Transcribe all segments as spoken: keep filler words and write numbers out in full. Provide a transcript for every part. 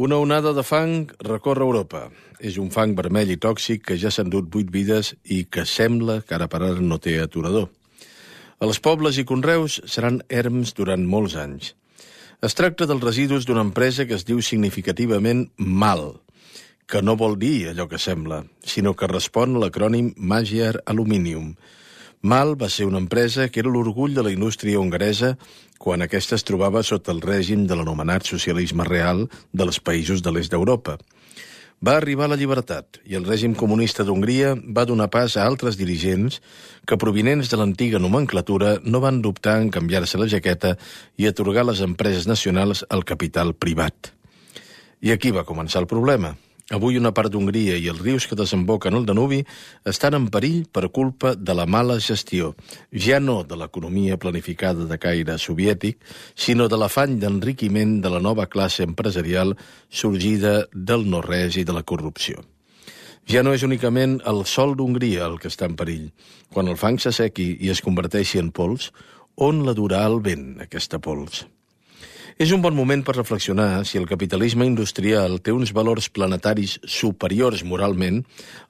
Una onada de fang recorre Europa. És un fang vermell i tòxic que ja s'ha endut vuit vides i que sembla que ara per ara no té aturador. Els pobles i conreus seran erms durant molts anys. Es tracta dels residus d'una empresa que es diu significativament MAL, que no vol dir allò que sembla, sinó que respon a l'acrònim Magyar Aluminium. MAL va ser una empresa que era l'orgull de la indústria hongaresa quan aquesta es trobava sota el règim de l'anomenat socialisme real dels països de l'est d'Europa. Va arribar la llibertat i el règim comunista d'Hongria va donar pas a altres dirigents que, provinents de l'antiga nomenclatura, no van dubtar en canviar-se la jaqueta i atorgar a les empreses nacionals el capital privat. I aquí va començar el problema. Avui una part d'Hongria i els rius que desemboquen al Danubi estan en perill per culpa de la mala gestió, ja no de l'economia planificada de caire soviètic, sinó de l'afany d'enriquiment de la nova classe empresarial sorgida del no-res i de la corrupció. Ja no és únicament el sòl d'Hongria el que està en perill. Quan el fang s'assequi i es converteixi en pols, on la durà el vent, aquesta pols? És un bon moment per reflexionar si el capitalisme industrial té uns valors planetaris superiors moralment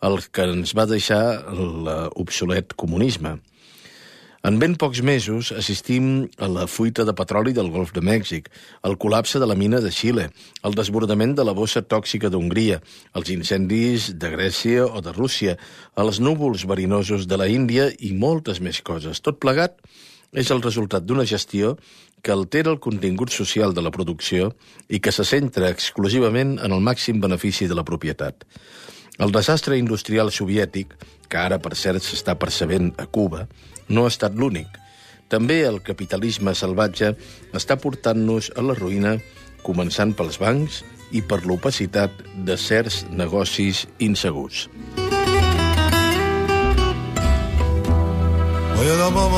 als que ens va deixar l'obsolet comunisme. En ben pocs mesos assistim a la fuita de petroli del Golf de Mèxic, al col·lapse de la mina de Xile, al desbordament de la bossa tòxica d'Hongria, als incendis de Grècia o de Rússia, als núvols verinosos de la Índia i moltes més coses. Tot plegat és el resultat d'una gestió que altera el contingut social de la producció i que se centra exclusivament en el màxim benefici de la propietat. El desastre industrial soviètic, que ara per cert s'està percebent a Cuba, no ha estat l'únic. També el capitalisme salvatge està portant-nos a la ruïna, començant pels bancs i per l'opacitat de certs negocis insegurs. Oy la la la la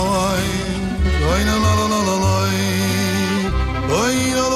la la la la la la